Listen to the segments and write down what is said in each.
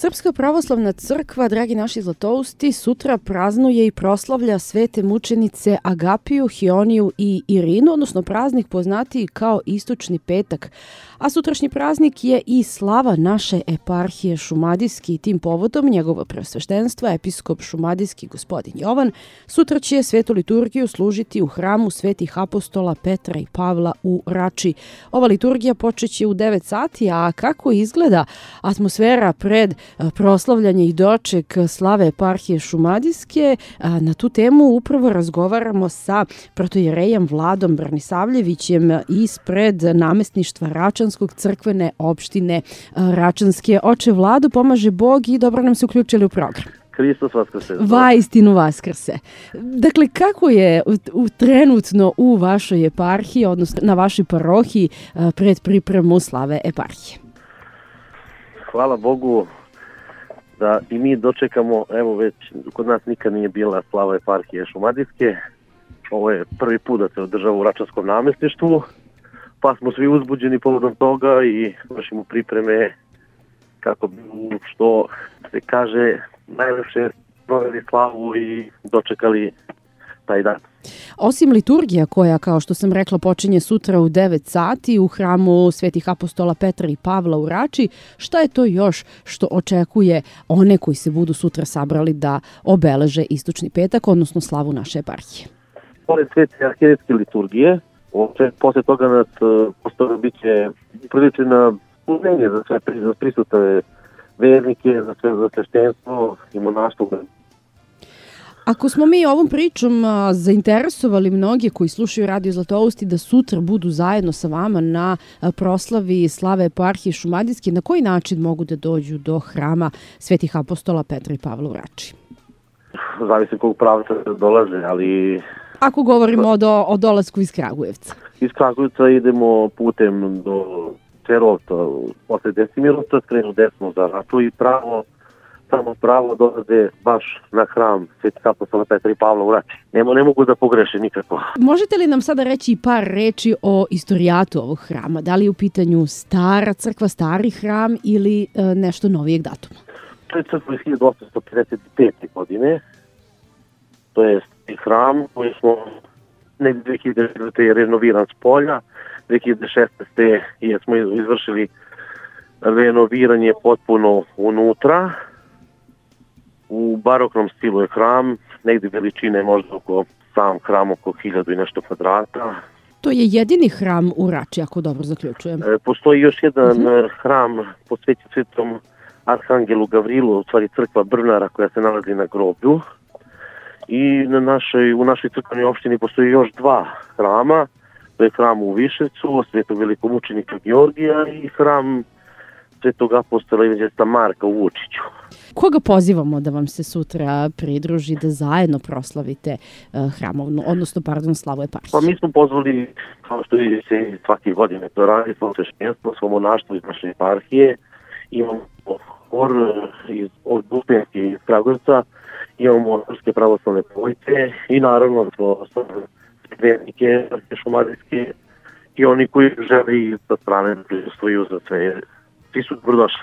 Srpska pravoslavna crkva, dragi naši zlatousti, sutra praznuje i proslavlja svete mučenice Agapiju, Hioniju i Irinu, odnosno praznik poznatiji kao Istočni petak. A sutrašnji praznik je i slava naše eparhije Šumadijski i tim povodom njegovo preosveštenstvo, episkop Šumadijski gospodin Jovan, sutra će svetu liturgiju služiti u hramu svetih apostola Petra i Pavla u Rači. Ova liturgija počeće u 9 sati, a kako izgleda atmosfera pred proslavljanje i doček slave eparhije Šumadijske, na tu temu upravo razgovaramo sa protojerejem Vladom Branisavljevićem ispred namestništva Račanskog crkvene opštine Račanske. Oče Vlado, pomaže Bog i dobro nam se uključili u program. Hristos vaskrse. Vaistinu vaskrse. Dakle, kako je trenutno u vašoj eparhiji, odnosno na vašoj parohiji pred pripremu slave eparhije? Hvala Bogu da i mi dočekamo, evo već kod nas nikad nije bila slava eparhije Šumadijske. Ovo je prvi put da se održava u Račanskom namestništvu, pa smo svi uzbuđeni povodom toga i vršimo pripreme kako bi, što se kaže, najlepše proveli slavu i dočekali taj dan. Osim liturgija koja, kao što sam rekla, počinje sutra u 9 sati u hramu svetih apostola Petra i Pavla u Rači, šta je to još što očekuje one koji se budu sutra sabrali da obeleže Istočni petak, odnosno slavu naše eparhije? Pored svete arhijetske liturgije, posle toga nas postoje biće priličena uzmenje za sve prisutne vernike, za sve sveštenstvo i monaštvo. Ako smo mi ovom pričom zainteresovali mnoge koji slušaju Radio Zlatousti da sutra budu zajedno sa vama na proslavi slave eparhije Šumadijske, na koji način mogu da dođu do hrama svetih apostola Petra i Pavla u Rači? Zavisi kog pravca dolaze, ali... Ako govorimo o dolasku iz Kragujevca. Iz Kragujevca idemo putem do Cerovca, posle Desimirovca, skrenu desno za Raču i samo pravo dolaze baš na hram svetih apostola Petra i Pavla u Rači. Ne mogu da pogreše nikako. Možete li nam sada reći par reči o istorijatu ovog hrama? Da li je u pitanju stara crkva, stari hram ili nešto novijeg datuma? To je crkva iz 1855. godine. To je hram koji smo negdje 2009. je renoviran s polja. 2016. smo izvršili renoviranje potpuno unutra. U baroknom stilu je hram, negdje veličine možda sam hram oko 1000 i nešto kvadrata. To je jedini hram u Rači, ako dobro zaključujem. Postoji još jedan hram posvećen svetom Arhangelu Gavrilu, u stvari crkva Brnara koja se nalazi na groblju. I u našoj crkvenoj opštini postoji još 2 hrama. To je hram u Viševcu, svetog velikomučenika Georgija i hram svetog apostola evanđelista Marka u Vučiću. Koga pozivamo da vam se sutra pridruži da zajedno proslavite hramovnu, odnosno, slavu eparhije? Pa mi smo pozvali, kao što se svake godine to radi, svo sveštenstvo, svo monaštvo iz naše eparhije. Imamo hor od Bupenske iz Kragujevca, imamo srpske pravoslavne pojice i naravno vernike Šumadijske i oni koji žele i sa strane da prisustvuju za sve. Svi su dobrodošli.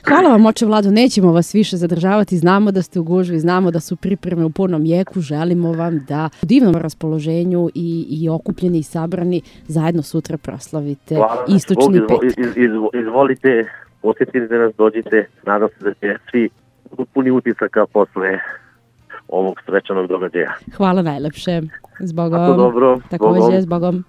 Hvala vam, oče Vlado, nećemo vas više zadržavati, znamo da ste u gužvi, znamo da su pripreme u punom jeku, želimo vam da u divnom raspoloženju i okupljeni i sabrani zajedno sutra proslavite Istočni petak. Izvolite, posjetite nas, dođite, nadam se da će svi puni utisaka posle ovog svečanog događaja. Hvala najlepše. Zbogom. Tako dobro. Takođe, zbogom.